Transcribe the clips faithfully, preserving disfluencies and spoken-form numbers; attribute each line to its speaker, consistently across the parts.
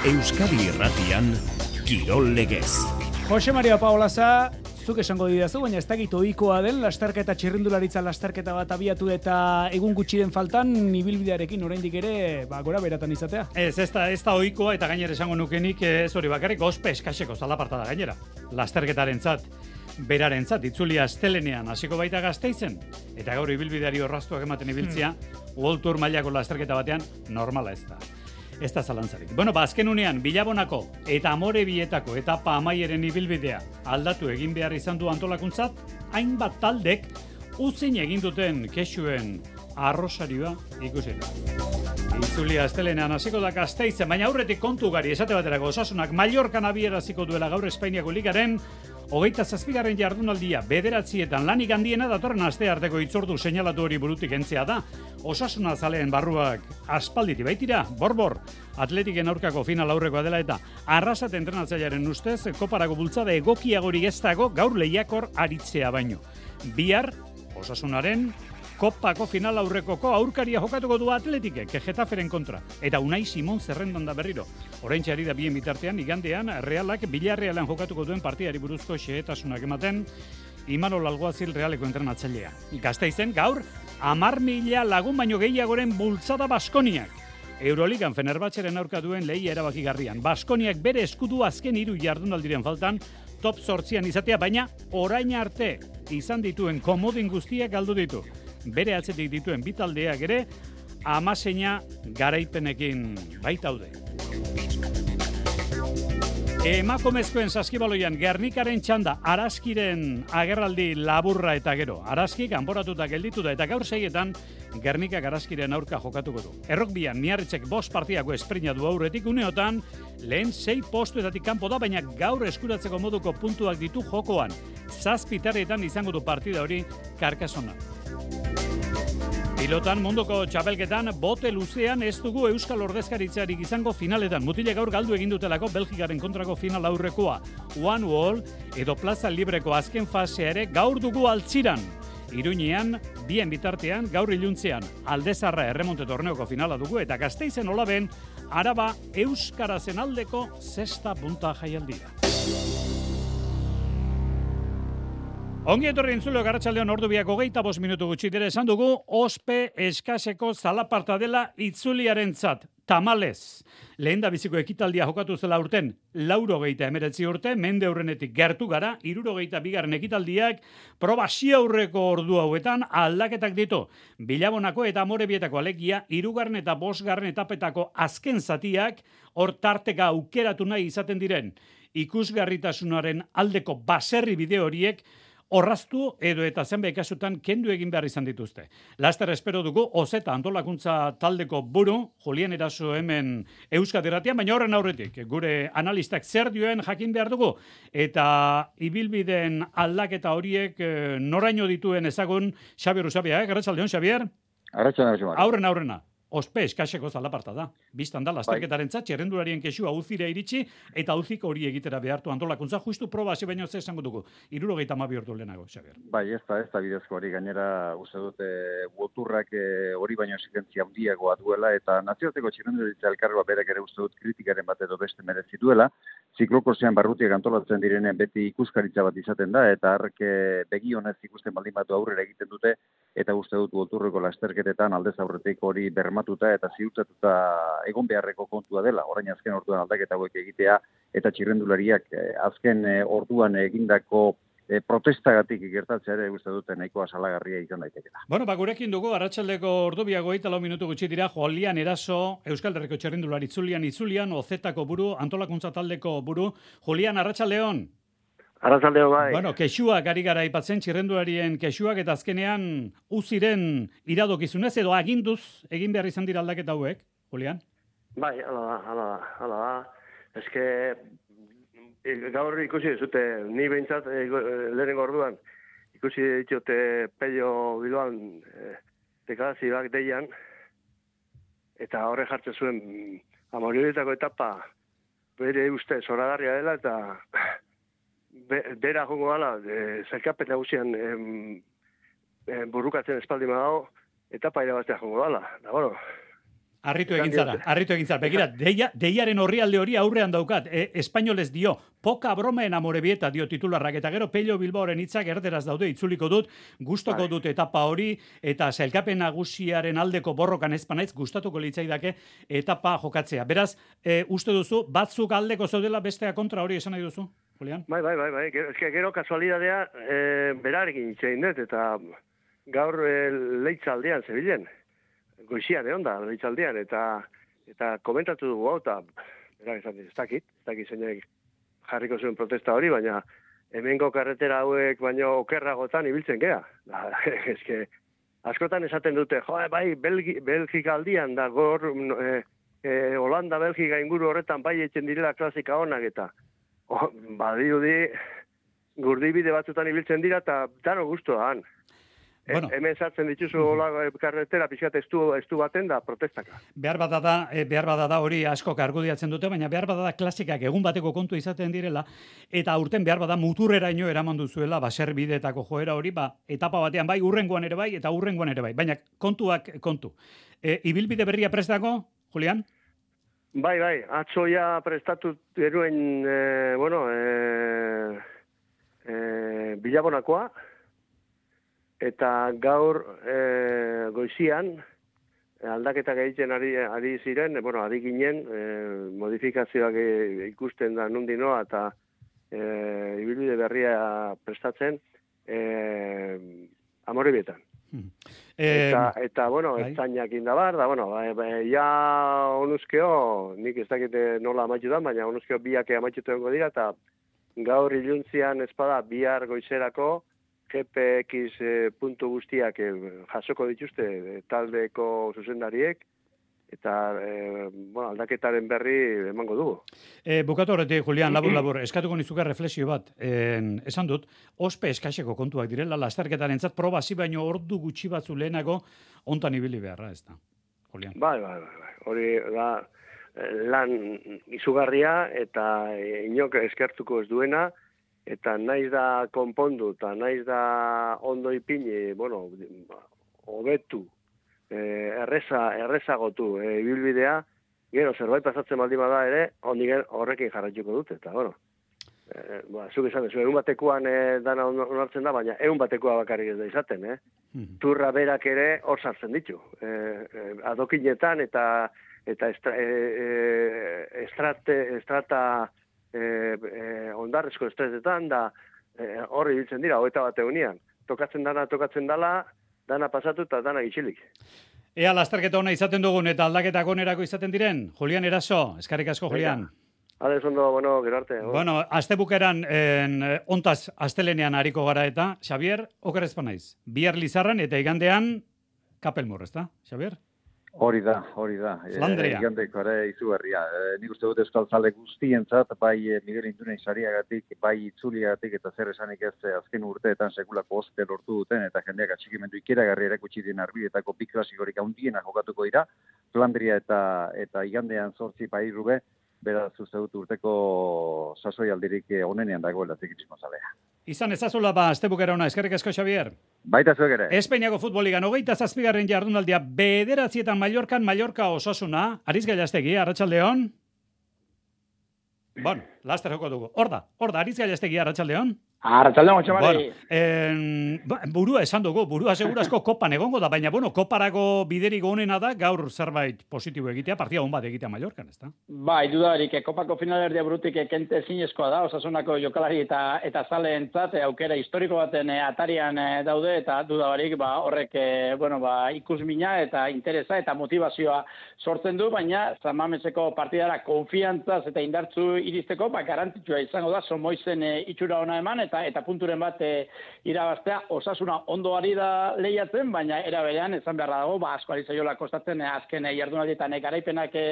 Speaker 1: Euskadi Irratian, Kirol Legez.
Speaker 2: Jose Maria Paolaza, zuk esango didazu, baina ez dakit ohikoa den lasterketa txirrindularitza lasterketa bat abiatu eta egun gutxiren faltan ibilbidearekin oraindik ere ba, gora beratan izatea.
Speaker 3: Ez, ez da, ez da ohikoa eta gainera esango nukenik ez hori bakarrik ospe eskaseko zalaparta da gainera. Lasterketarentzat, berarentzat, itzulia astelenean hasiko baita Gasteizen eta gaur ibilbideari orraztuak ematen ibiltzea, hmm. World Tour mailako lasterketa batean normala ez da. Ez da zalantzarik. Bueno, ba, azken unean, Bilabonako eta Amorebietako etapa amaieren ibilbidea aldatu egin behar izan du antolakuntzat, hainbat taldek uzin egin duten kexuen arrosarioa ikusi da. Itzulia astelenean hasiko da Gasteizen, baina aurretik kontu gari esate baterako Osasunak Mallorcan abieraziko duela gaur Espainiako ligaren hogeita zazpigarren jardunaldia bederatzietan lanik handiena datorren aste arteko hitzordu seinalatu hori burutik entzea da. Osasuna zaleen barruak aspalditi baitira, borbor, Atletiken aurkako final aurrekoa dela eta Arrasat entrenatzailearen ustez koparako bultzada egokiagori ez dago gaur lehiakor aritzea baino. Bihar, Osasunaren kopako final aurrekoko aurkaria jokatuko du Atletikek, Getaferen kontra. Eta Unai Simon zerrendan da berriro. Oraintxe ari da bien bitartean, igandean, Realak Villarrealen jokatuko duen partiari buruzko xehetasunak ematen, Imanol Alguazil Realeko entrenatzailea. Gasteizen gaur, hamar mila lagun baino gehiagoren bultzada Baskoniak. Euroligan Fenerbahçeren aurka duen lehia erabakigarrian. Baskoniak bere eskudu azken hiru jardunaldiren faltan, top zortzian izatea, baina orain arte izan dituen komodin guztiak galdu ditu. Bere atzetik dituen bitaldeak ere, amaseina garaipenekin baitaude. Emakumezkoen saskibaloian Gernikaren txanda Araskiren agerraldi laburra eta gero. Araski kanporatuta gelditu da eta gaur seietan Gernikak Araskiren aurka jokatuko du. Errokbian Miarritzek bost partiako esprina du aurretik uneotan, lehen sei postuetatik kanpo da, baina gaur eskuratzeko moduko puntuak ditu jokoan. Zazpitaretan izango du partida hori Karkasona. Pilotan munduko txapelketan bote luzean ez dugu Euskal Ordezkaritzarik izango finaletan. Mutile gaur galdu egin dutelako Belgikaren kontrako final aurrekoa. One Wall edo Plaza Libreko azken fasea ere gaur dugu altziran. Iruñean, bien bitartean, gaur iluntzean, Aldezarra erremonte torneoko finala dugu eta Gasteizen olaben, Araba Euskarazen aldeko zesta punta jaialdia. Ongi etorri entzuleo Garratxaldeon ordu biak hogeita bost minutu gutxi dira esan dugu, ospe eskaseko zalaparta dela itzuliarentzat, tamalez. Lehen da biziko ekitaldia jokatu zela urten, laurogeita emeretzi urte, mende aurrenetik gertu gara, irurogeita bigarren ekitaldiak, proba aurreko ordu hauetan aldaketak ditu. Bilabonako eta Amorebietako alegia, irugarren eta bosgarren etapetako azken zatiak, hor tarteka aukeratu nahi izaten diren, ikusgarritasunaren aldeko baserri bideo horiek, horraztu edo eta zenbait kasutan kendu egin behar izan dituzte. Laster espero dugu Ozeta antolakuntza taldeko buru, Julian Eraso hemen Euskadi Irratian, baina horren aurretik, gure analistak zer dioen jakin behar dugu, eta ibilbideen aldaketa horiek noraino dituen ezagun Xabier Usabia, eh? Garratxaldeon, Xabier?
Speaker 4: Garratxaldeon,
Speaker 3: Aurrena, aurrena. Ospe eskaseko zalaparta da. Bistan da, lasterketaren zat, txerrendularien kexua auzira iritsi, eta auziko hori egitera behartu antolakuntza, justu proba hasi baino ze esango dugu. Irurogeita hamabi ordu lehenago, Xabier.
Speaker 4: Bai, ez da, ez da bidezko hori gainera, uste dute, boturrak hori baino exigentzia handiagoa duela, eta nazioarteko txerrendularitza elkargoa berek ere uste dut kritikaren bat edo beste merezi duela, ziklokorsean barrutiak antolatzen direnen beti ikuskaritza bat izaten da, eta hark begi honez ikusten baldin batu aurrera egiten dute, eta uste dut boturreko lasterketetan aldez aurretik hori bermatuta eta ziurtatuta egon beharreko kontua dela. Orain azken orduan aldaketa hauek egitea eta txirrendulariak azken orduan egindako protestagatik gertatzea ere uste dute nahikoa salagarria izan daitekela.
Speaker 3: Bueno, ba gurekin dugu arratsaldeko ordubiak hogeita lau minutu gutxi dira Julian Eraso, Euskal Herriko txirrendulari itzulian itzulian Ozetako buru, antolakuntza taldeko buru. Julian, arratsaldeon.
Speaker 5: Arratsaldeo bai.
Speaker 3: Bueno, kexuak ari gara aipatzen txirrendularien kexuak eta azkenean uziren iradokizunez edo aginduz egin behar izan dira aldaketa hauek, Julian?
Speaker 5: Bai, hala da, hala da, hala da. Eske gaur ikusi zute, ni behintzat e, lehenengo orduan ikusi ditute Pello Bilbaan e, dekazioak deian eta horre jartzen zuen Amorebietako etapa bere uste zoragarria dela eta Be, bera jongo gala, e, zelkapen nagusian e, e, burrukatzen espaldi dago, eta paira batzea jongo gala. Da, bueno.
Speaker 3: Arritu egin zara, arritu egin zara. Begira, deia, deiaren orrialde hori aurrean daukat. E, espainolez dio, poka broma en amorebieta dio titularrak. Eta gero Pello Bilbaoren hitzak erderaz daude, itzuliko dut, gustoko
Speaker 5: Bai.
Speaker 3: dut etapa hori, eta sailkapen nagusiaren aldeko borrokan ezpanaiz, gustatuko litzaidake etapa jokatzea. Beraz, e, uste duzu, batzuk aldeko zaudela bestea kontra hori esan nahi duzu, Julián?
Speaker 5: Bai, bai, bai, bai. Gero, eske, gero kasualidadea e, berarekin itxein dut, eta gaur e, leitzaldean zebilen. Goizian egon da, leitzaldean, eta eta komentatu dugu hau, eta berak esan ez dakit, ez dakit zeinek jarriko zuen protesta hori, baina hemengo karretera hauek baino okerragotan ibiltzen gea. Da, eske, askotan esaten dute, jo, bai, Belgi, Belgika aldian da, gor, e, e, Holanda, Belgika inguru horretan bai etxen direla klasika honak, eta oh, badirudi gurdibide batzutan ibiltzen dira, eta dano guztuan. Bueno. Hemen sartzen dituzu hola karretera pixkat estu, estu baten da protestaka.
Speaker 3: Behar bada da, behar bada da hori askok argudiatzen dute, baina behar bada da klasikak egun bateko kontu izaten direla, eta urten behar bada muturreraino eraman duzuela, baserbidetako joera hori, ba, etapa batean bai, urrengoan ere bai, eta urrengoan ere bai. Baina kontuak kontu. E, ibilbide berria prestako, Julián?
Speaker 5: Bai, bai, atzoia prestatu eruen, e, bueno, e, e, bilabonakoa, eta gaur e, goizian aldaketak egiten ari, ari ziren, bueno, ari ginen, e, modifikazioak ikusten da nundi noa, eta e, ibilbide berria prestatzen e, Amorebietan. Hmm. Eta, eta, bueno, bai. Ertzainak indabar, da, bueno, ba, ba, ja onuzkeo, nik ez dakite nola amaitu da, baina onuzkeo biak amaitutu dengo dira, eta gaur iluntzian espada bihar goizerako, G P X puntu guztiak eh, jasoko dituzte eh, taldeko zuzendariek, eta eh, bueno, aldaketaren berri emango dugu.
Speaker 3: E, bukatu horretik, Julián, labur, labur, eskatuko nizuka reflexio bat. En, esan dut, ospe eskaseko kontuak direla, lasterketaren zat, proba zi baino ordu gutxi batzu lehenago ontan ibili beharra, ez da, Julián?
Speaker 5: Bai, bai, bai, bai. Hori da lan izugarria eta inok eskertuko ez duena, eta naiz da konpondu, eta naiz da ondo ipini, bueno, hobetu, eh, erreza, errezagotu eh, ibilbidea, gero zerbait pasatzen baldin bada ere, ondigen horrekin jarraituko dute, eta, bueno, eh, ba, zuk esan dezu, egun batekoan eh, dana onartzen da, baina egun batekoa bakarrik ez da izaten, eh? Mm. Turra berak ere hor sartzen ditu, eh, eh, adokinetan eta eta estra, eh, estrate, estrata E, e, ondarrezko estresetan da horri e, biltzen dira, hoeta bat egunean. Tokatzen dana, tokatzen dala, dana pasatu eta dana gitxilik.
Speaker 3: Ea lasterketa ona izaten dugun eta aldaketak onerako izaten diren, Julián Eraso, eskarrik asko, Julián.
Speaker 5: Ade, zondo, bueno, gero arte.
Speaker 3: Bueno, azte bukeran, en, ontaz, astelenean hariko gara eta, Xavier, okerrezpa naiz. Bihar Lizarran eta igandean Kapelmur, ez da, Xavier?
Speaker 4: Hori da, hori da.
Speaker 3: Flandria.
Speaker 4: E, igandeko ere izugarria. E, nik uste dut euskal zale guztientzat, bai e, Miguel Indunei sariagatik, bai itzuliagatik eta zer esanik ez azken urteetan sekulako oste lortu duten, eta jendeak atxikimendu ikeragarri erakutsi den arbidetako bi klasikorik handiena jokatuko dira, Flandria eta eta igandean zortzi pairube, beraz uste dut urteko sasoi aldirik onenean dagoela ziklismo zalea.
Speaker 3: Izan ezazula ba, astebukera ona, eskerrik asko, Xavier.
Speaker 4: Baita zuek ere.
Speaker 3: Espainiako futboligan, hogeita zazpigarren jardunaldia, bederatzietan Mallorcan, Mallorca Osasuna, Ariz Gailastegi, Arratsaldeon. Bueno, laster joko dugu. Hor da, hor da, Ariz Gailastegi, Arratsaldeon.
Speaker 6: Arratsaldeon, Txamari.
Speaker 3: Bueno, en, ba, burua esan dugu, burua segurazko kopan egongo da, baina, bueno, koparako biderik onena da, gaur zerbait positibo egitea, partida hon bat egitea Mallorcan, ez da?
Speaker 6: Bai, dudarik, kopako finalerdia burutik kente zinezkoa da, Osasunako jokalari eta eta zaleentzat aukera historiko baten atarian daude, eta dudarik, ba, horrek, bueno, ba, ikusmina eta interesa eta motivazioa sortzen du, baina Zamameseko partidara konfiantzaz eta indartzu iristeko, ba, garrantzitsua izango da, Somoizen e, itxura ona eman, eta eta punturen bat e, irabaztea. Osasuna ondo ari da lehiatzen, baina era berean esan beharra dago, ba asko ari zaiola kostatzen e, azken e, jardunaldietan e, garaipenak e,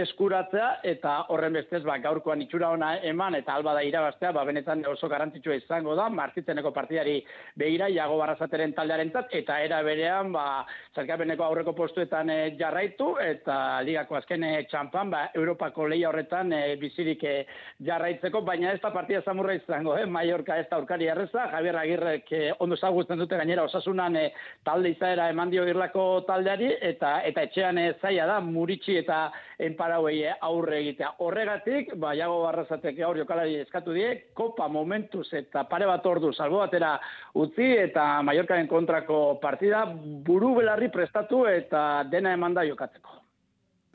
Speaker 6: eskuratzea, eta horren bestez ba gaurkoan itxura ona eman eta alba da irabaztea, ba benetan oso garrantzitsua izango da Martitzeneko partidari begira Iago Barrasateren taldearentzat, eta era berean ba sailkapeneko aurreko postuetan e, jarraitu eta ligako azken e, txanpan ba Europako lehia horretan e, bizirik e, jarraitzeko, baina ez da partida samurra izango, eh Mallorca Mallorca ez da aurkari erreza, Javier Agirrek eh, ondo ezagutzen dute gainera Osasunan eh, talde izaera eman dio irlako taldeari, eta eta etxean eh, zaila da Muritxi eta Enparauei eh, aurre egitea. Horregatik, ba, Iago Barrazatek gaur jokalari eskatu die, kopa momentuz eta pare bat ordu salbo batera utzi, eta Mallorcaren kontrako partida buru belarri prestatu eta dena emanda jokatzeko.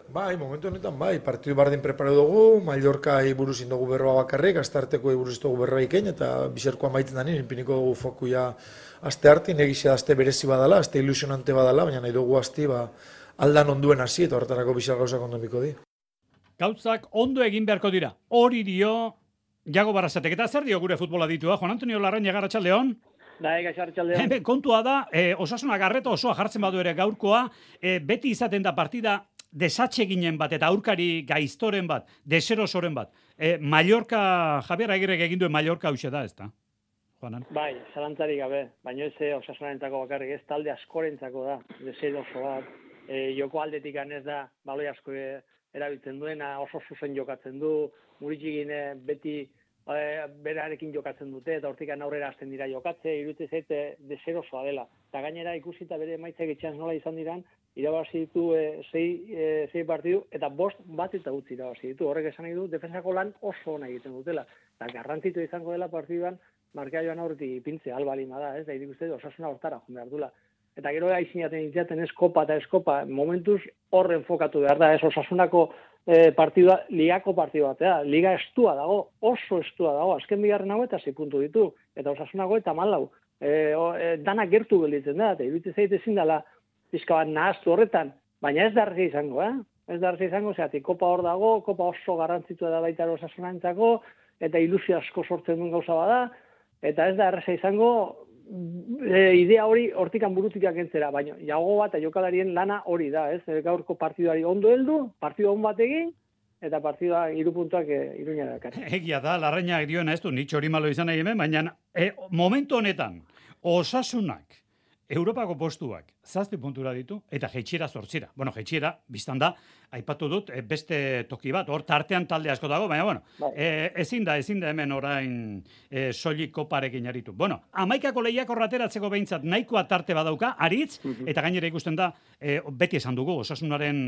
Speaker 7: Bai, momentu honetan bai, partidu bardin preparatu dugu, Mallorcai buruz indogu berroa bakarrik, astarteko buruz dugu berroa ikein, eta bizerkoa maitzen danin, inpiniko dugu fokuia aste hartin, egizia aste berezi badala, aste ilusionante badala, baina nahi dugu asti, ba, aldan onduen hasi, eta horretarako bizar gauzak ondo biko di.
Speaker 3: Gauzak ondo egin beharko dira, hori dio Iago Barrazatek, eta zer dio gure futbola ditua, Juan Antonio Larrañaga, arratsaldeon?
Speaker 8: Bai, arratsaldeon.
Speaker 3: Hemen kontua da, e, Osasuna garreto osoa jartzen badu ere gaurkoa, e, beti izaten da partida desatxe ginen bat eta aurkari gaiztoren bat, deserosoren bat. E, Mallorca, Javier Agirrek egin duen Mallorca hauxe da, ez da? Juanan?
Speaker 8: Bai, zalantzarik gabe, baina ez Osasunaren bakarrik, ez talde askorentzako da, deseroso bat. E, joko aldetik ez da, baloi asko erabiltzen duena, oso zuzen jokatzen du, Muritxigin beti e, berarekin jokatzen dute, eta hortikan aurrera hasten dira jokatze, iruditze zaite deserosoa dela. Eta gainera ikusita bere emaitzak etxean nola izan diran, irabazi ditu e, sei, e, sei partidu, eta bost bat eta utzi irabazi ditu. Horrek esan nahi du, defensako lan oso ona egiten dutela. Eta garrantzitu izango dela partiduan, markea joan aurretik ipintzea, albalima da, ez? Da, irik uste Osasuna hortara joan behar dula. Eta gero aizinaten itzaten eskopa eta eskopa, momentuz horren fokatu behar da, ez? Osasunako e, partidua, ligako partidu batea, liga estua dago, oso estua dago, azken bigarren hau eta sei puntu ditu, eta Osasunako eta malau. E, o, e, danak gertu gelditzen da, eta iruditzen zait ezin dela pizka bat nahaztu horretan, baina ez da argi izango, eh? Ez da argi izango, zeatik, kopa hor dago, kopa oso garrantzitua da baita Osasunantzako, eta ilusio asko sortzen duen gauza bada, eta ez da erreza izango e, idea hori hortikan burutikak entzera, baina Iago bat eta jokalarien lana hori da, ez? Gaurko partiduari ondo heldu, partidu on bat egin, eta partidua hiru puntuak e, Iruña dakar.
Speaker 3: Egia da, Larrañaga dioena ez du, nik hori malo izan nahi hemen, baina e, momentu honetan, Osasunak, Europako postuak zazpi puntura ditu, eta jeitxiera zortzira. Bueno, jeitxiera, biztan da, aipatu dut, beste toki bat, hor tartean talde asko dago, baina, bueno, bai. e, ezin da, ezin da hemen orain e, soilik koparekin aritu. Bueno, amaikako lehiak horrateratzeko behintzat nahikoa tarte badauka, aritz, uh-huh. eta gainera ikusten da, e, beti esan dugu, Osasunaren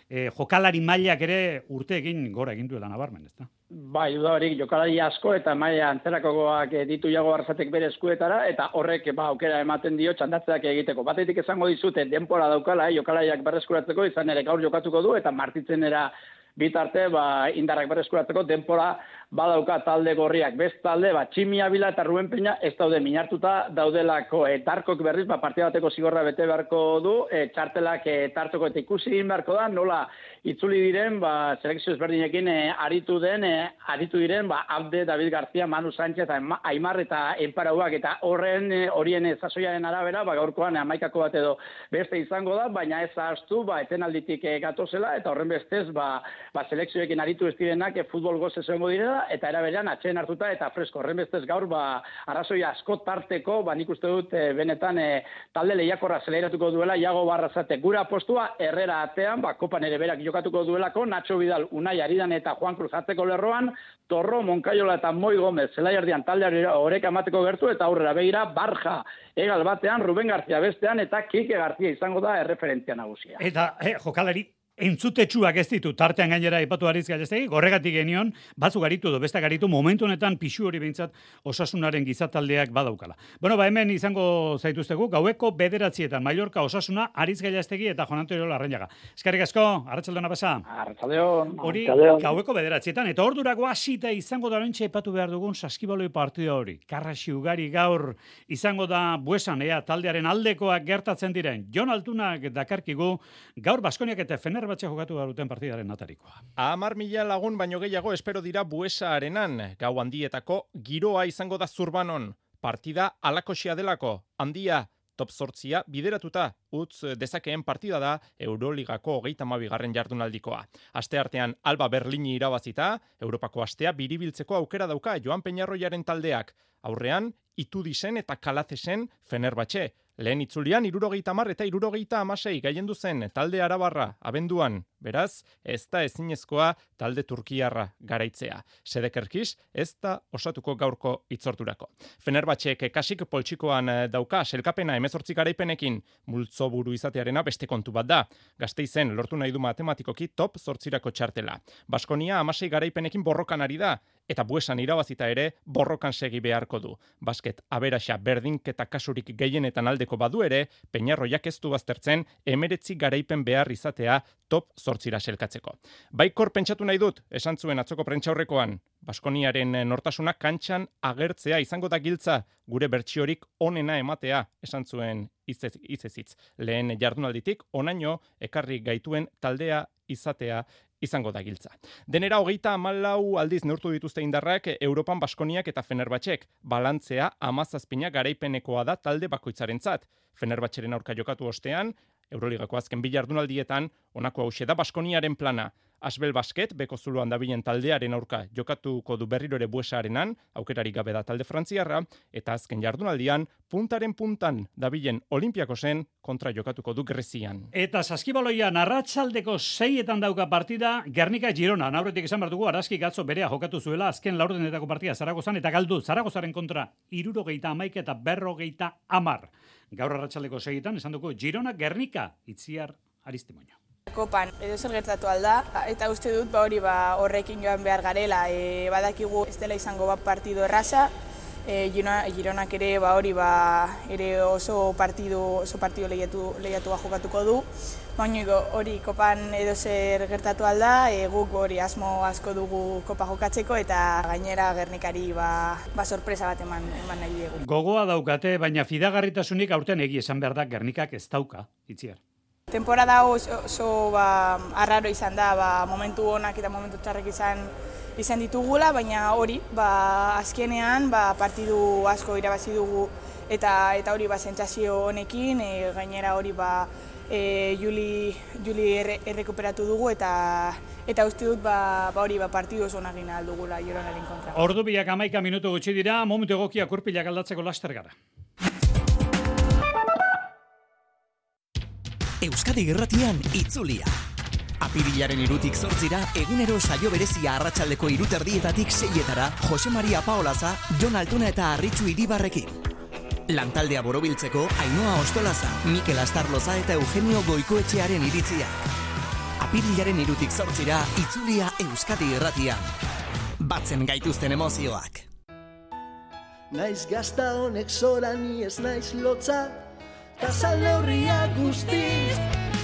Speaker 3: e, jokalari mailak ere urteekin gora egin duela nabarmen, ez da?
Speaker 6: Bai, dudarik, jokalari asko eta maila antzerakoak ditu Iago Barrazatek bere eskuetara, eta horrek ba, aukera ematen dio txandatzeak egiteko. Batetik esango dizute denpora daukala, eh, jokalariak berreskuratzeko, izan ere gaur jokatuko du, eta martitzenera bitarte ba, indarrak berreskuratzeko denpora badauka talde gorriak. Best talde, ba, Tximi Abila eta Ruben Peña ez daude minartuta daudelako. E, tarkok berriz, ba, partida bateko zigorra bete beharko du, e, txartelak e, tartoko eta ikusi egin beharko da, nola itzuli diren, ba, selekzio ezberdinekin e, aritu den, e, aritu diren, ba, Abde, David García, Manu Sánchez, Aimar eta Enparauak, eta horren e, horien zazoiaren arabera, ba, gaurkoan hamaikako bat edo beste izango da, baina ez ahaztu, ba, etenalditik e, gatozela, eta horren bestez, ba, ba, selekzioekin aritu ez direnak e, futbol goz esango direla, eta eraberean atxeen hartuta eta fresko. Horren bestez gaur, ba, arrazoi asko tarteko, ba, nik uste dut e, benetan e, talde lehiakorra zeleratuko duela Iago Barrazatek. Gure apostua Herrera atean, ba, kopan ere berak jokatuko duelako, Nacho Vidal, Unai Aridan eta Juan Cruz atzeko lerroan, Torro, Moncayola eta Moi Gomez zelaiardian taldeari oreka emateko gertu, eta aurrera begira Barja Egal batean, Ruben García bestean, eta Kike García izango da erreferentzia nagusia.
Speaker 3: Eta eh, jokalari entzutetsuak ez ditu, tartean gainera ipatu Aritz Gallastegi, gorregatik genion, batzuk garitu edo beste garitu, momentu honetan pixu hori behintzat Osasunaren gizataldeak badaukala. Bueno, ba hemen izango zaituztegu, gaueko bederatzietan, Mallorca, Osasuna, Aritz Gallastegi eta Juan Antonio Larrañaga. Eskerrik asko, arratsaldeon pasa.
Speaker 6: Arratsaldeon.
Speaker 3: Hori gaueko bederatzietan, eta ordurako hasita izango da oraintxe aipatu behar dugun saskibaloi partida hori. Karraxi ugari gaur izango da Buesan, ea taldearen aldekoak gertatzen diren. Jon Altunak dakarkigu, gaur Baskoniak eta Fener batxe jokatu garuten partidaren atarikoa.
Speaker 9: Hamar mila lagun baino gehiago espero dira Buesa arenan. Gau handietako giroa izango da Zurbanon. Partida alakoxia delako. Handia, top zortzia bideratuta. Utz dezakeen partida da Euroligako hogeita hamabigarren jardunaldikoa. Aste artean Alba Berlini irabazita, Europako astea biribiltzeko aukera dauka Joan Peñarroiaren taldeak. Aurrean, Itudisen eta Kalacesen Fenerbahce. Lehen itzulian hirurogeita hamar eta hirurogeita hamasei gailendu zen talde arabarra abenduan, beraz, ez da ezinezkoa talde turkiarra garaitzea. Sedekerkis ez da osatuko gaurko itzordurako. Fenerbahçek kasik poltsikoan dauka selkapena hemezortzi garaipenekin, multzo buru izatearena beste kontu bat da. Gasteizen lortu nahi du matematikoki top zortzirako txartela. Baskonia hamasei garaipenekin borrokan ari da, eta Buesan irabazita ere borrokan segi beharko du. Basket aberaxa berdinketa kasurik gehienetan aldeko badu ere, Peñarroiak ez du baztertzen emeretzi garaipen behar izatea top zortzira selkatzeko. Baikor pentsatu nahi dut, esan zuen atzoko prentsaurrekoan, Baskoniaren nortasuna kantxan agertzea izango da giltza, gure bertsiorik onena ematea, esan zuen izezitz. Lehen jardunalditik onaino ekarri gaituen taldea izatea izango da giltza. Denera hogeita hamalau aldiz neurtu dituzte indarrak Europan Baskoniak eta Fenerbahçek. Balantzea hamazazpina garaipenekoa da talde bakoitzarentzat. Fenerbahçeren aurka jokatu ostean, Euroligako azken bi jardunaldietan, honako hauxe da Baskoniaren plana. Asbel Basket, beko zuloan dabilen taldearen aurka jokatuko du berriro ere Buesarenan, aukerarik gabe da talde frantziarra, eta azken jardunaldian, puntaren puntan dabilen Olimpiakosen kontra jokatuko du Grezian.
Speaker 3: Eta saskibaloian arratsaldeko seietan dauka partida Gernika Girona. Aurretik esan behar dugu, Araski Gatzo berea jokatu zuela azken laurdenetako partida Zaragozan eta galdu Zaragozaren kontra hirurogeita hamaika eta berrogeita hamar. Gaur arratsaldeko seietan esan dugu Girona Gernika Itziar Aristimoño.
Speaker 10: Kopan edo zer gertatu alda, eta uste dut ba hori ba horrekin joan behar garela, e, badakigu ez dela izango bat partido erraza, e, Girona, Gironak ere ba hori ba ere oso partido oso partido lehiatu lehiatua jokatuko du. Baina hori kopan edo zer gertatu alda, e, guk hori asmo asko dugu kopa jokatzeko eta gainera Gernikari ba, ba sorpresa bat eman eman nahi dugu.
Speaker 3: Gogoa daukate, baina fidagarritasunik aurten egi esan behar da Gernikak ez dauka, Itziar.
Speaker 10: Temporada oso, oso ba, arraro izan da, ba, momentu onak eta momentu txarrek izan izan ditugula, baina hori, ba, azkenean ba, partidu asko irabazi dugu eta eta hori ba, sentsazio honekin, e, gainera hori ba, e, Juli, Juli erre, errekuperatu dugu eta eta uste dut ba, ba, hori ba, partidu oso onak gina aldugula Gironaren kontra.
Speaker 3: Ordu biak hamaika minutu gutxi dira, momentu egokia kurpilak aldatzeko laster gara.
Speaker 11: Euskadi Irratian itzulia. Apirilaren irutik zortzira, egunero saio berezia arratsaldeko hiruterdietatik seietara, Jose Maria Paolaza, Jon Altuna eta Arritxu Iribarrekin. Lantaldea borobiltzeko, Ainhoa Ostolaza, Mikel Astarloza eta Eugenio Goikoetxearen iritzia. Apirilaren irutik zortzira, itzulia Euskadi Irratian. Batzen gaituzten emozioak.
Speaker 12: Naiz gazta honek zora ni ez naiz lotza, Tasal neurriak guztiz,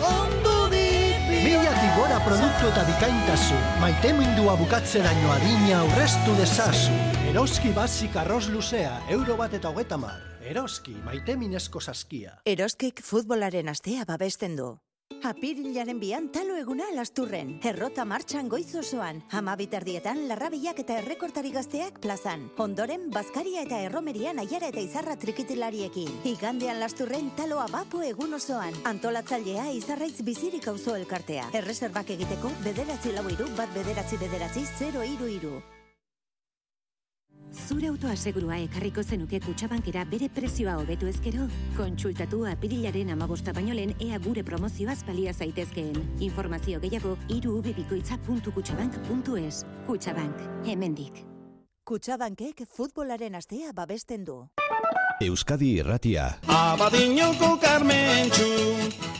Speaker 12: ondo dipi.
Speaker 13: Milatik gora produktu eta bikaintasun, maitemindua bukatzeraino adina aurreztu dezazu. Eroski Basic arroz luzea, euro bat eta hogeta mar. Eroski, maiteminezko saskia.
Speaker 14: Eroskik futbolaren astea babesten du. Apirilaren bian talo eguna Lasturren, errota martxan goiz osoan, hamabiterdietan larrabilak eta errekortari gazteak plazan, ondoren Bazkaria eta Erromerian Aiara eta Izarra trikitilariekin, igandean Lasturren taloa bapo egun osoan, antolatzailea Izarraiz bizirik auzo elkartea, erreserbak egiteko bederatzi lau iru bat bederatzi bederatzi zero iru iru.
Speaker 15: Zure autoasegurua ekarriko zenuke Kutxabankera bere prezioa hobetu ezkero? Kontsultatu apirilaren hamabosta baino lehen ea gure promozioaz balia zaitezkeen. Informazio gehiago hiru ubebikoitza puntu kutxabank puntu es. Kutxabank, hemendik.
Speaker 14: Kutxabankek futbolaren astea babesten du.
Speaker 1: Euskadi Irratia.
Speaker 12: Abadiñoko Carmentxu,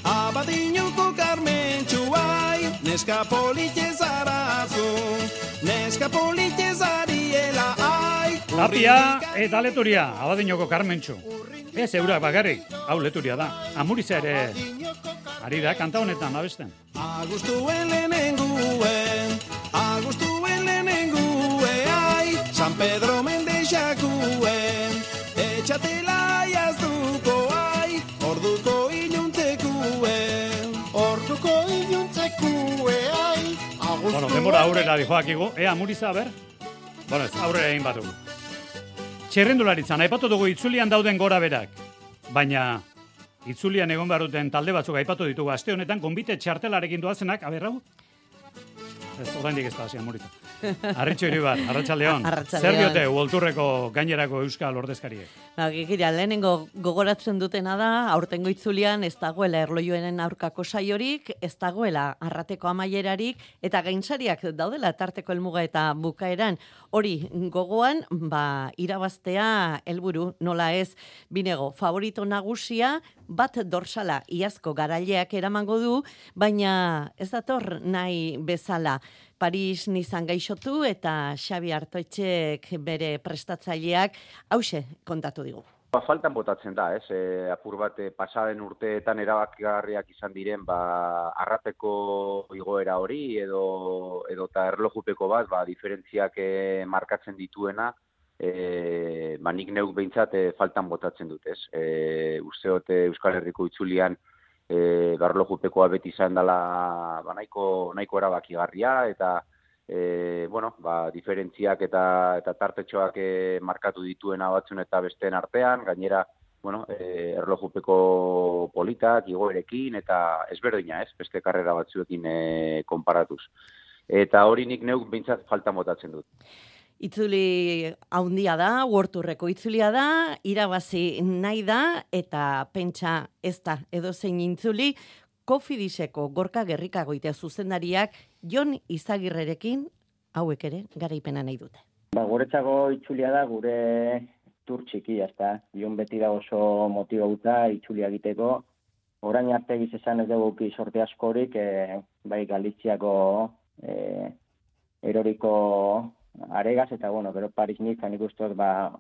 Speaker 12: Abadiñoko Carmentxu, ai, neska politxe zarazu, neska politxe zariela, ai.
Speaker 3: Tapia eta Leturia, Abadiñoko Carmentxu. Ez eurak bakarrik, hau Leturia da. Amuriza ere ari da kanta honetan abesten.
Speaker 12: Agustuen lehenenguen, Agustuen lehenenguen, ai, San Pedro Mendexakuen, etxatela jazduko, ai, orduko iluntzekuen, orduko iluntzekuen, ai, Agustuen...
Speaker 3: Bueno, denbora aurrera dijoakigu. Ea, Amuriza, ber? Bueno, ez, aurrera egin batugu. Txerrendularitzan, aipatu dugu itzulian dauden gora berak. Baina, itzulian egon behar duten talde batzuk aipatu ditugu aste honetan, konbite txartelarekin doazenak, aberrau? Ez, oraindik ez da hasi, Amuriza. Arritxo Iribar, arratsaldeon.
Speaker 16: Arratsaldeon.
Speaker 3: Zer diote Uolturreko gainerako euskal ordezkariek?
Speaker 16: Ba, gira, lehenengo gogoratzen dutena da, aurtengo itzulian ez dagoela erlojuenen aurkako saiorik, ez dagoela arrateko amaierarik, eta gainsariak daudela tarteko helmuga eta bukaeran. Hori gogoan, ba, irabaztea helburu nola ez, binego, favorito nagusia, bat dorsala iazko garaileak eramango du, baina ez dator nahi bezala. Paris nizan gaixotu eta Xabi Artoitxek bere prestatzaileak hause kontatu digu.
Speaker 17: Ba, faltan botatzen da, ez? E, apur bat e, pasaden urteetan erabakigarriak izan diren, ba, arrapeko igoera hori edo edo ta erlojupeko bat, ba, diferentziak e, markatzen dituena, e, ba, nik neuk behintzat e, faltan botatzen dut, ez? E, usteote Euskal Herriko itzulian E, barlojupekoa beti izan dela ba, nahiko, nahiko erabakigarria eta e, bueno, ba, diferentziak eta, eta tartetxoak e, markatu dituena batzun eta besteen artean, gainera bueno, e, erlojupeko politak, igoerekin eta ezberdina ez, beste karrera batzuekin e, konparatuz. Eta hori nik neuk behintzat faltan botatzen dut.
Speaker 16: Itzuli haundia da, Uorturreko itzulia da, irabazi nahi da, eta pentsa ez da edozein intzuli, Kofidiseko Gorka Gerrikagoitea zuzendariak Jon Izagirrerekin hauek ere garaipena nahi dute.
Speaker 18: Ba, guretzako itzulia da gure tur txikia, ezta. Jon beti da oso motibauta itzulia egiteko. Orain arte giz esan ez dugu sorte askorik, e, bai Galiziako e, eroriko aregaz, eta bueno, gero Paris Nizan ikusten ba,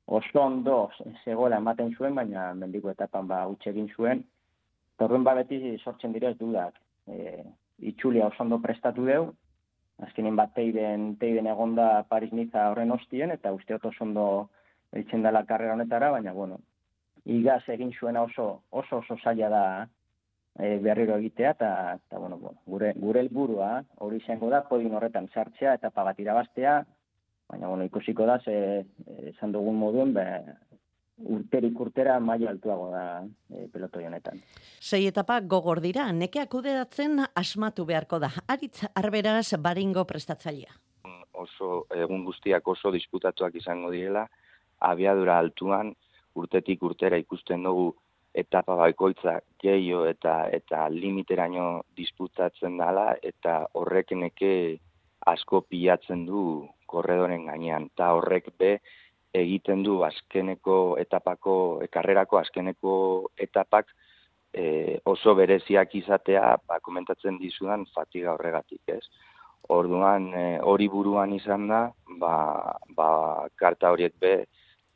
Speaker 18: oso ondo zegoela ematen zuen, baina mendiko etapan ba, utxe egin zuen. Torruen ba beti sortzen direz dudak. E, itxulia oso ondo prestatu deu, azkenin bat teiden, teiden egonda Paris Niza horren ostien, eta usteot oso ondo eitzen dela karrera honetara, baina bueno, igaz egin zuena oso oso, oso zaila da e, berriro egitea, eta, eta bueno, bueno, gure gure helburua hori izango da, podin horretan sartzea eta pagat irabaztea, baina bueno, ikusiko da, ze, esan dugun moduen, be, urterik urtera maila altuago da e, pelotoi honetan.
Speaker 16: Sei etapa gogor dira, nekeak kudeatzen asmatu beharko da. Aritz Arberaz Baringo prestatzailea.
Speaker 19: Oso, egun guztiak oso disputatuak izango direla, abiadura altuan, urtetik urtera ikusten dugu etapa baikoitza gehiago eta eta limiteraino disputatzen dela, eta horrek neke asko pilatzen du korredoren gainean, eta horrek be egiten du azkeneko etapako, karrerako azkeneko etapak e, oso bereziak izatea, ba, komentatzen dizudan fatiga horregatik, ez? Orduan, e, hori buruan izan da, ba, ba, karta horiek be,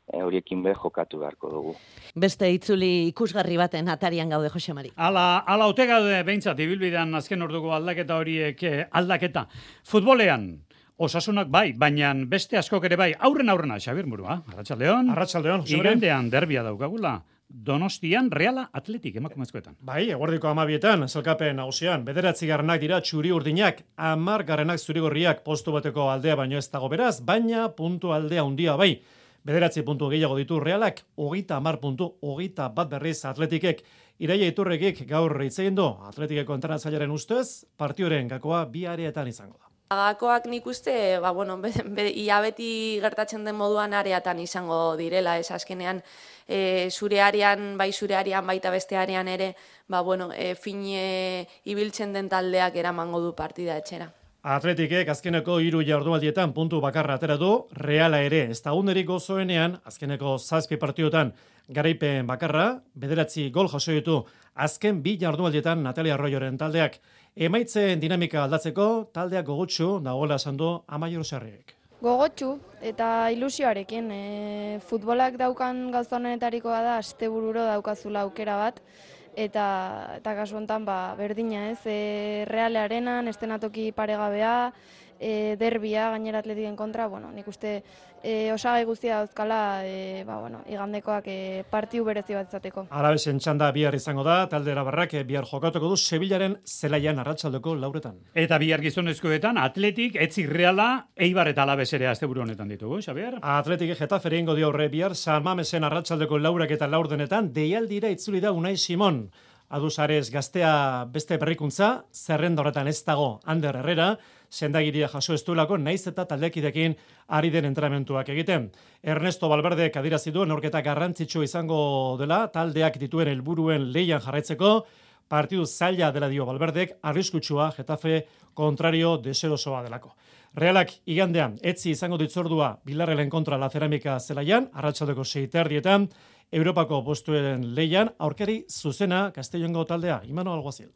Speaker 19: E, horiekin be jokatu beharko dugu.
Speaker 16: Beste itzuli ikusgarri baten atarian gaude, Jose Mari.
Speaker 3: Ala, ala ote gaude behintzat, ibilbidean azken orduko aldaketa horiek aldaketa. Futbolean, Osasunak bai, baina beste askok ere bai, aurren aurrena, Xabier Murua, arratsaldeon.
Speaker 20: Arratsaldeon, Jose Mari.
Speaker 3: Igandean derbia daukagula. Donostian Reala Atletik emakumezkoetan.
Speaker 20: Bai, eguerdiko hamabietan, zelkapen nagusian, bederatzi garrenak dira txuri urdinak, hamar garrenak zurigorriak postu bateko aldea baino ez dago beraz, baina puntu aldea handia bai. Bederatzi puntu gehiago ditu Realak, hogeita hamar puntu, hogeita bat berriz Atletikek. Iraia Iturrekik gaur hitz egin du Atletikeko entrenatzailearen ustez, partioren gakoa bi areetan izango da.
Speaker 21: Gakoak nik uste, ba, bueno, be, be, ia beti gertatzen den moduan areatan izango direla, ez azkenean e, zure arean, bai zure arean, baita beste arean ere, ba, bueno, e, fine ibiltzen den taldeak eramango du partida etxera.
Speaker 20: Atletikek azkeneko hiru jardunaldietan puntu bakarra atera du, Reala ere ez da unerik gozoenean, azkeneko zazpi partiotan garaipen bakarra, bederatzi gol jaso ditu azken bi jardunaldietan Natalia Arroyoren taldeak. Emaitzen dinamika aldatzeko taldeak gogotsu dagoela esan du Amaiur Sarriek.
Speaker 22: Gogotsu eta ilusioarekin, e, futbolak daukan gauza honetarikoa da astebururo daukazula aukera bat, eta eta kasu hontan ba berdina, ez? E, Reale Arenan estenatoki paregabea, e, derbia gainera Atletiken kontra, bueno, nik uste e, osagai guztia dauzkala, e, ba bueno, igandekoak e, partiu berezi bat izateko.
Speaker 20: Alabesen txanda bihar izango da, talde Arabarrak bihar jokatuko du Sevillaren zelaian arratsaldeko lauretan.
Speaker 3: Eta bihar gizonezkoetan Atletik, Etzi Reala, Eibar eta Alabes ere asteburu honetan ditugu, Xabier?
Speaker 20: Atletik Getafere ingo dio horre bihar San Mamesen arratsaldeko laurak eta laurdenetan deialdira itzuli da Unai Simon. Adusares gaztea beste berrikuntza, zerrenda horretan ez dago Ander Herrera, sendagiria jaso ez duelako, naiz eta taldekidekin ari den entrenamentuak egiten. Ernesto Valverde adierazi du neurketa garrantzitsu izango dela, taldeak dituen helburuen leian jarraitzeko, partidu zaila dela dio Valverdek, arriskutsua Getafe kontrario deserosoa delako. Realak igandean, etzi izango ditzordua Bilarrelen kontra La Cerámica zelaian, arratsaldeko sei terdietan, Europako postuen leian, aurkari zuzena Castellongo taldea, Imano Alguazil.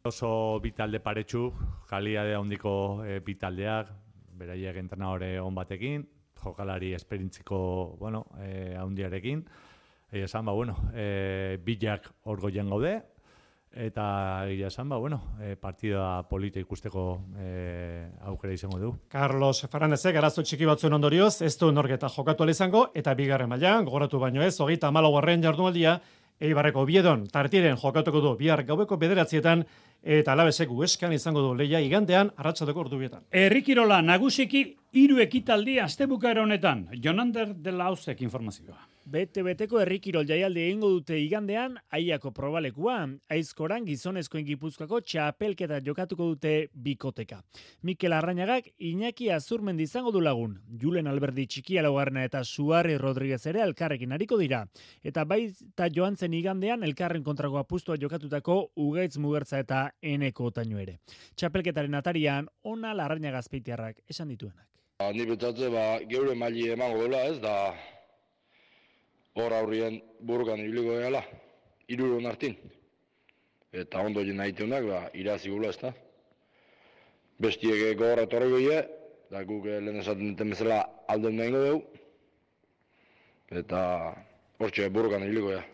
Speaker 2: Oso bi talde paretsu, jaliade handiko e, bi taldeak, beraiek entrenadore on batekin, jokalari esperintziko, bueno, e, handiarekin. Egia esan, ba, bueno, e, bilak hor goian gaude, eta egia esan, ba, bueno, e, partida polita ikusteko e, aukera izango du.
Speaker 20: Carlos Fernándezek arazo txiki batzuen ondorioz, ez du norketa jokatu ala izango, eta bigarren mailan gogoratu baino ez, hogeita hamalaugarren jardunaldia, Eibarreko Oviedon tartiren jokatuko du bihar gaueko bederatzietan, eta Alabesek Huescan izango du leia igandean arratsaldeko ordubietan.
Speaker 3: Herrikirola nagusiki hiru ekitaldi astebukaera honetan. Jonander de la Hausek informazioa.
Speaker 5: Bete-beteko herrikirol jaialdi egingo dute igandean Aiako probalekua, Aizkoran gizonezkoen Gipuzkoako txapelketa jokatuko dute bikoteka. Mikel Arrañagak Iñaki Azurmendi izango du lagun. Julen Alberdi Txikia laugarrena eta Suarri Rodriguez ere elkarrekin ariko dira. Eta baita joan zen igandean elkarren kontrako apustua jokatutako Ugaitz Mugertza eta Eneko Otaño ere. Txapelketaren atarian ona Larrañaga azpeitiarrak esan dituenak.
Speaker 23: Ni betatze ba geure maili emango dela, ez da hor aurrien burrukan ibiliko gala, hiruron hartin. Eta ondo jena itunak, ba, irazi gula ez da. Bestiek gogorra torriko ie, da guk lehen esaten duten bezala alden nahingo dugu. Eta hortxe burrukan ibiliko gala.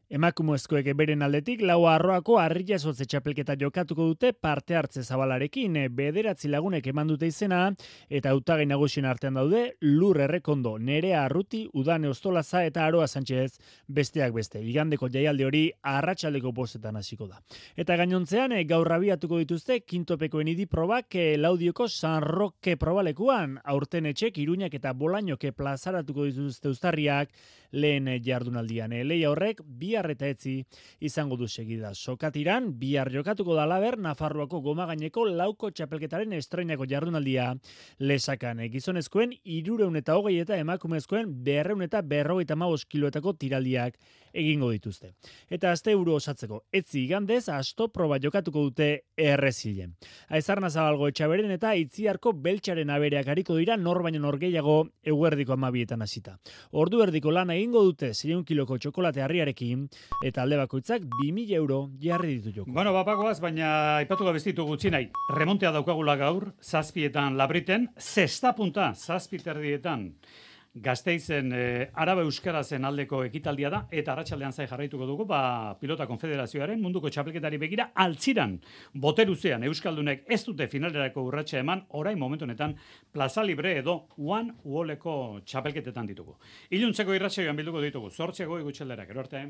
Speaker 5: Emakumezkoek beren aldetik lau arroako harriasotze txapelketa jokatuko dute parte hartze zabalarekin, bederatzi lagunek eman dute izena, eta hautagai nagusien artean daude Lur Errekondo, Nerea Arruti, Udane Ostolaza eta Aroa Sánchez besteak beste. Igandeko jaialdi hori arratsaldeko bostetan hasiko da. Eta gainontzean gaur abiatuko dituzte kintopekoen idi probak Laudioko San Roque probalekuan, aurten etxek Iruñak eta Bolañoke plazaratuko dituzte uztarriak lehen jardunaldian. Leia horrek bihar eta etzi izango du segida. Sokatiran, bihar jokatuko da laber Nafarroako goma gaineko lauko txapelketaren estreinako jardunaldia lesakan. Gizonezkoen irureun eta hogei eta emakumezkoen berreun eta berrogeita hamabost kiloetako tiraldiak egingo dituzte. Eta aste euro osatzeko, etzi igandez asto proba jokatuko dute errezilen. Aizarna Zabalgo Etxaberen eta Itziarko Beltxaren abereak hariko dira nor baino nor gehiago eguerdiko amabietan hasita. Ordu erdiko lana egingo dute seiehun kiloko txokolate harriarekin, eta alde bakoitzak bi mila euro jarri ditu joko.
Speaker 3: Bueno, bapagoaz, baina aipatu gabezitu gutxi nahi. Remontea daukagula gaur, zazpietan Labriten, zesta punta, zazpiterdietan. Gasteizen e, Araba Euskarazen aldeko ekitaldia da, eta arratsaldean zai jarraituko dugu, ba, Pilota Konfederazioaren munduko txapelketari begira altziran, boteruzean Euskaldunek ez dute finalerako urratsa eman, orain momentu honetan Plaza Libre edo One Walleko txapelketetan ditugu. Iluntzeko irratsaioan bilduko ditugu, zortzeko igutxelderak, erorte.